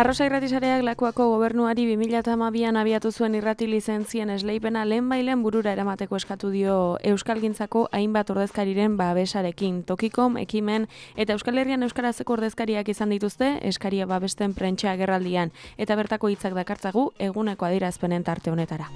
Arrosa irratisareak Lakuako gobernuari 2012an abiatu zuen irrati lizentzien esleipena lehenbailen burura eramateko eskatu dio Euskalgintzako hainbat ordezkariren babesarekin. Tokikom, Ekimen eta Euskal Herrian euskarazeko ordezkariak izan dituzte eskaria babesten prentsa agerraldian eta bertako hitzak dakartzagu eguneko adierazpenen tarte honetara.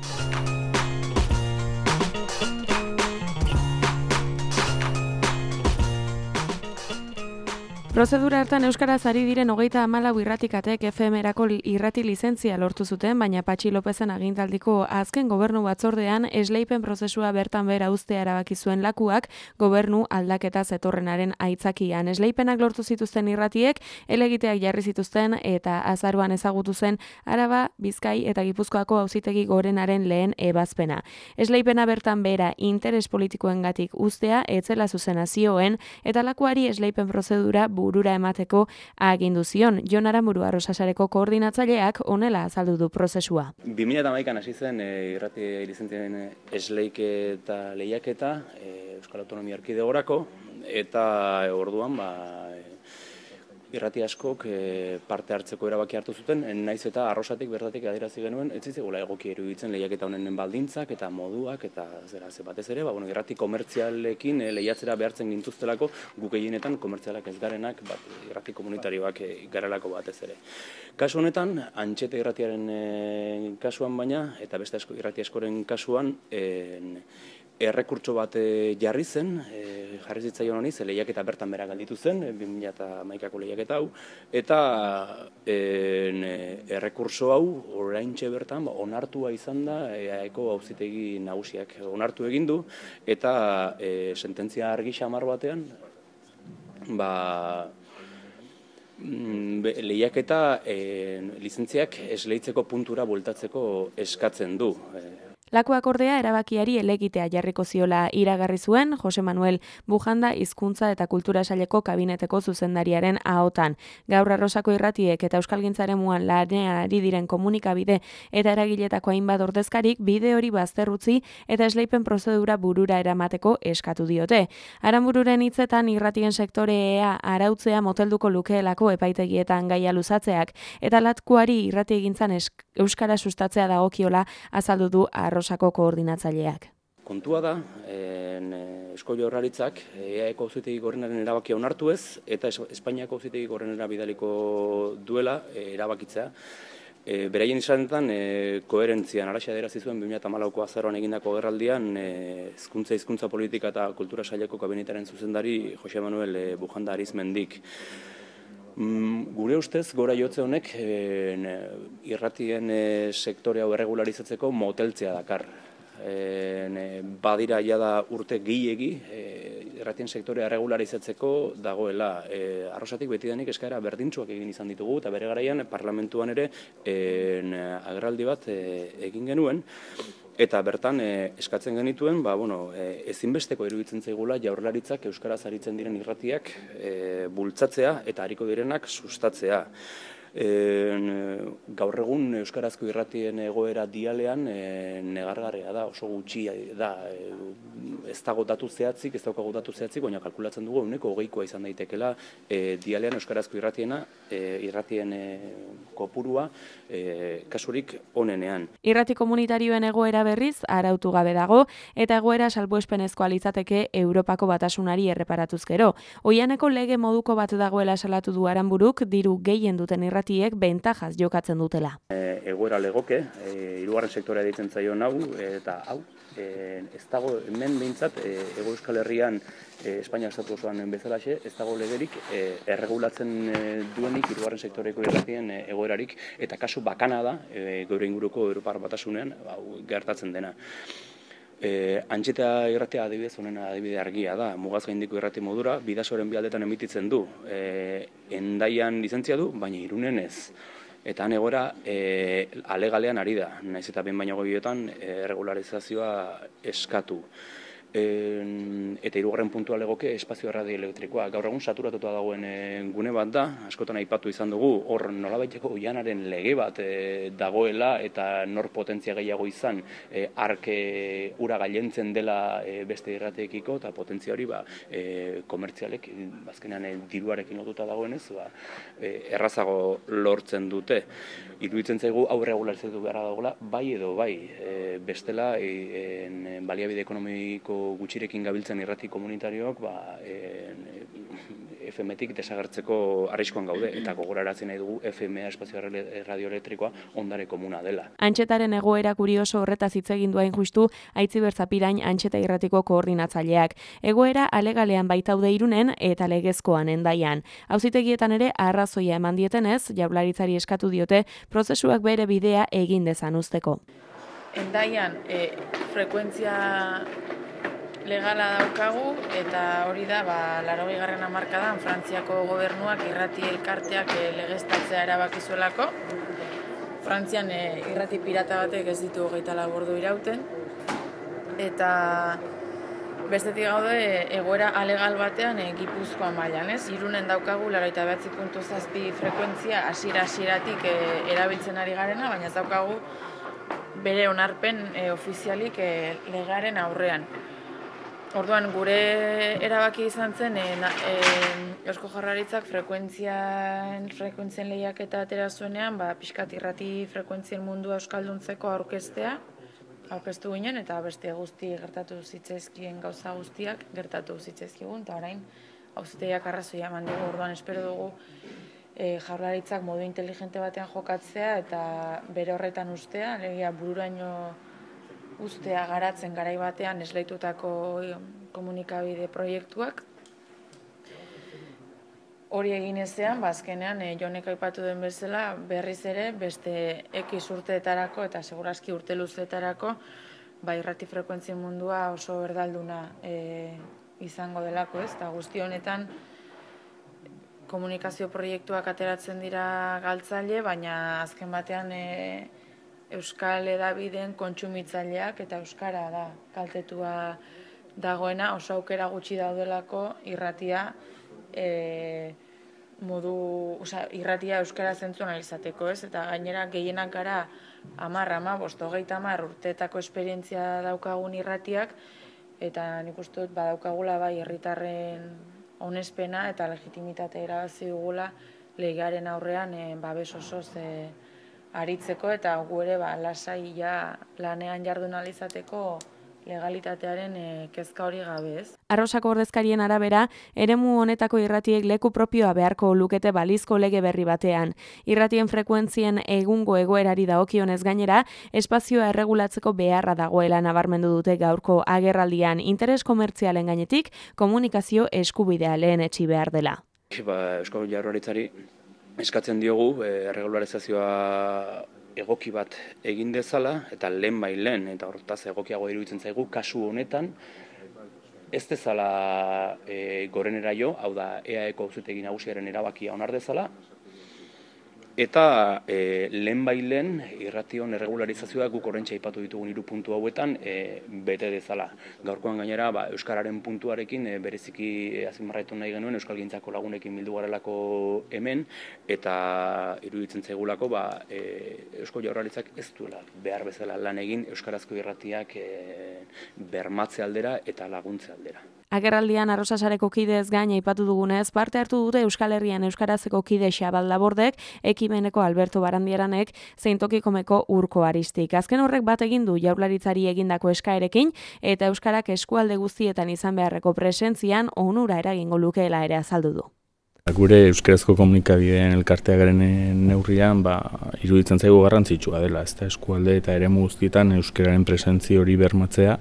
Prozedura hartan euskaraz ari diren 34 irratikatek FM-erako irrati lizentzia lortu zuten, baina Patxi Lopezen agintaldiko azken gobernu batzordean esleipen prozesua bertan behera uztea erabaki zuen Lakuak gobernu aldaketa zetorrenaren aitzakian. Esleipenak lortu zituzten irratiek helegiteak jarri zituzten eta azaroan ezagutu zen Araba, Bizkai eta Gipuzkoako Auzitegi Gorenaren lehen ebazpena. Esleipena bertan behera interes politikoengatik uztea etzela zuzena zioen eta Lakuari esleipen prozedura burura emateko agindu zion. Jon Aramburu Arrosasareko koordinatzaileak honela azaldu du prozesua. 2011an hasi zen irrati lizentzien esleiketa lehiaketa Euskal Autonomia Erkidegorako eta orduan irrati askok parte hartzeko erabaki hartu zuten, naiz eta Arrosatik bertatik adierazi genuen, ez zitzaigula egoki iruditzen lehiaketa honen baldintzak eta moduak eta batez ere, irrati komertzialekin lehiatzera behartzen gintuztelako guk gehienetan komertzialak ez garenak, irrati komunitarioak garelako batez ere. Kasu honetan, Antxete irratiaren kasuan baina, eta beste irrati askoren kasuan, errekurtso bat jarri zen, jarri zitzaion honi, ze lehiaketa bertan bera galditu zen, 2011ko lehiaketa hau, eta errekurso hau oraintxe bertan onartua izan da EAEko Auzitegi Nagusiak onartu egin du, eta sententzia argi xamar batean, lehiaketa lizentziak esleitzeko puntura bueltatzeko eskatzen du. Lakuak ordea erabakiari helegitea jarriko ziola iragarri zuen Jose Manuel Bujanda Hizkuntza eta Kultura Saileko kabineteko zuzendariaren ahotan. Gaur Arrosako irratiek eta Euskalgintzaremuan lanean ari diren komunikabide eta eragiletako hainbat ordezkarik bide hori bazterrutzi eta esleipen prozedura burura eramateko eskatu diote. Aranbururen hitzetan irratien sektorea arautzea motelduko lukeelako epaitegietan gaia luzatzeak eta Lakuari irratiegintzan euskara sustatzea dagokiola azaldu du Arrosako koordinatzaileak. Kontua da, Eusko Jaurlaritzak EAEko Auzitegi Gorenaren erabakia onartu ez, eta Espainiako Auzitegi Gorenera bidaliko duela erabakitzea. Beraien izanetan, koherentzian, araxa adierazten zuen 2014ko azaroan egindako agerraldian, hizkuntza politika eta kultura saileko kabinetaren zuzendari Jose Manuel Bujanda Arizmendik. Gure ustez, gora jotze honek irratien sektore hau erregularizatzeko moteltzea dakar. Badira jada urte gehiegi irratien sektorea erregularizatzeko dagoela. Arrosatik betidanik eskaera berdintsuak egin izan ditugu eta bere garaian parlamentuan ere agerraldi bat egin genuen. Eta bertan eskatzen genituen, ezinbesteko iruditzen zaigula Jaurlaritzak euskaraz aritzen diren irratiak bultzatzea eta ariko direnak sustatzea. Gaur egun euskarazko irratien egoera dialean negargarria da, oso gutxi da, ez dago datu zehatzik, baina kalkulatzen dugu ehuneko 20koa izan daitekela dialean euskarazko irratien kopurua kasurik onenean. Irrati komunitarioen egoera berriz arautu gabe dago eta egoera salbuespenezkoa litzateke Europako Batasunari erreparatuz gero. Oihaneko lege moduko bat dagoela salatu du Aranburuk diru gehien duten irratiek bentajaz jokatzen dutela. Egoera legoke, hirugarren sektorea deitzen zaion hau eta hau ez dago hemen behintzat Hego Euskal Herrian Espainia estatu osoan bezalaxe, ez dago legerik erregulatzen duenik hirugarren sektoreko irratien egoerarik eta kasu bakana da geure inguruko Europar Batasunean gertatzen dena. Antxeta irratia adibidez honen adibide argia da, mugaz gaindiko irrati modura, Bidasoren bi aldetan emititzen du. Hendaian lizentzia du, baina Irunen ez. Eta han egoera alegalean ari da, naiz eta behin baino gehietan regularizazioa eskatu. Eta hirugarren puntua legoke espazio radioelektrikoa. Gaur egun saturatuta dagoen gune bat da, askotan aipatu izan dugu, hor nolabaiteko oihanaren lege bat dagoela eta nor potentzia gehiago izan arke ura gailentzen dela beste irrateekiko eta potentzia hori komertzialek azkenean diruarekin lotuta dagoenez errazago lortzen dute. Iruditzen zaigu hau regularizatu beharra dagoela bai edo bai. Bestela baliabide ekonomiko gutxirekin gabiltzen irrati komunitarioak FM-tik desagertzeko arriskuan gaude eta gogorarazi nahi dugu FM-a espazio radioelektrikoa ondare komuna dela. Antxetaren egoera kurioso horretaz hitz egin du hain justu Aitziber Zapirain Antxeta irratiko koordinatzaileak. Egoera alegalean baitaude Irunen eta legezkoan Hendaian. Auzitegietan ere arrazoia eman dietenez, Jaurlaritzari eskatu diote prozesuak bere bidea egin dezan uzteko. Hendaian frekuentzia legala daukagu eta hori da 80. hamarkadan Frantziako gobernuak irrati elkarteak legeztatzea erabaki zuelako. Frantzian irrati pirata batek ez ditu 24 ordu irauten eta bestetik gaude egoera alegal batean Gipuzkoan mailan, ez? Irunen daukagu 89.7 frekuentzia hasieratik erabiltzen ari garena, baina ez daukagu bere onarpen ofizialik legearen aurrean. Orduan, gure erabaki izan zen Eusko Jaurlaritzak frekuentzien lehiaketa atera zuenean, pixkat irrati frekuentzien mundua euskalduntzeko aurkeztu ginen, eta beste guzti gertatu zitzaizkien gauza guztiak gertatu zitzaizkigun, eta orain auzitegiak arrazoia eman dugu. Orduan, espero dugu Jaurlaritzak modu inteligente batean jokatzea eta bere horretan ustea, alegia bururaino ustea garatzen garai batean esleitutako komunikabide proiektuak. Hori egin ezean, azkenean Jonek aipatu den bezala, berriz ere beste X urteetarako eta segurazki urte luzeetarako irrati frekuentzien mundua oso berdalduna izango delako, ez? Eta guzti honetan komunikazio proiektuak ateratzen dira galtzaile, baina azken batean Euskal hedabideen kontsumitzaileak eta euskara da kaltetua dagoena, oso aukera gutxi daudelako irratia irratia euskara zentzu analizateko, ez? Eta gainera gehienak gara 10, urteetako esperientzia daukagun irratiak, eta nik uste dut badaukagula herritarren onespena eta legitimitate irabazi dugula legearen aurrean babes osoz aritzeko eta gu ere lasai lanean jardun alizateko legalitatearen kezka hori gabe, ez? Arrosako ordezkarien arabera, eremu honetako irratiek leku propioa beharko lukete balizko lege berri batean. Irratien frekuentzien egungo egoerari dagokionez gainera, espazioa erregulatzeko beharra dagoela nabarmendu dute gaurko agerraldian, interes komertzialen gainetik komunikazio eskubidea lehenetsi behar dela. Eusko Jaurlaritzari eskatzen diogu erregularizazioa egoki bat egin dezala, eta lehen, eta hortaz egokiago iruditzen zaigu, kasu honetan, ez dezala gorenera jo, hau da EAeko auzitegi nagusiaren erabakia onar dezala, eta lehen irration erregularizazioa guk horrentxe aipatu ditugun 3 puntu hauetan bete dezala. Gaurkoan gainera euskararen puntuarekin bereziki azpimarratu nahi genuen euskalgintzako lagunekin bildu garelako hemen, eta iruditzen zaigulako Eusko Jaurlaritzak ez duela behar bezala lan egin euskarazko irratiak bermatze aldera eta laguntze aldera. Agerraldian Arrosasareko kidez gain aipatu dugunez, parte hartu dute Euskal Herrian euskarazeko kide Xabal Labordek, ekimeneko Alberto Barandiaranek, zein Tokikomeko Urko Aristik. Azken horrek bat egin du Jaurlaritzari egindako eskaerekin eta euskarak eskualde guztietan izan beharreko presentzian onura eragingo lukeela ere azaldu du. Gure euskarazko komunikabideen elkartea garen neurrian, iruditzen zaigu garrantzitsua dela, ez da eskualde eta eremu guztietan euskararen presentzia hori bermatzea,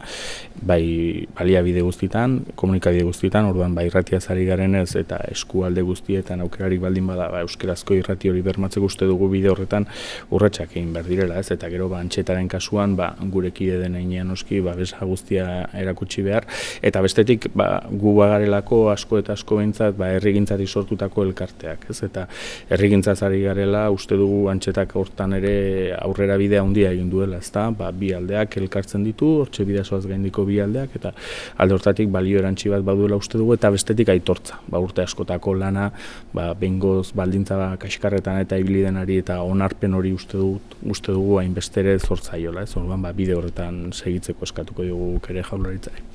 baliabide guztietan, komunikabide guztietan, orduan irratiaz ari garenez eta eskualde guztietan aukerarik baldin bada euskarazko irrati hori bermatzeko uste dugu bide horretan urratsak egin behar direla, ez? Eta gero Antxetaren kasuan gure kide den heinean noski babesa guztia erakutsi behar, eta bestetik gu bagarelako asko eta asko behintzat herrigintzatik sortu sortutako elkarteak, ez? Eta herrigintzaz ari garela, uste dugu Antxetak hortan ere aurrera bidea handia egin duela, ezta? Bi aldeak elkartzen ditu, hortxe bidasoaz gaindiko bi aldeak, eta alde hortatik balio erantsi bat baduela uste dugu, eta bestetik aitortza. Urte askotako lana, behingoz baldintza kaskarretan eta ibili denari eta onarpen hori uste dugu hainbeste ere zor zaiola, ez? Orduan bide horretan segitzeko eskatuko diogu ere Jaurlaritzari.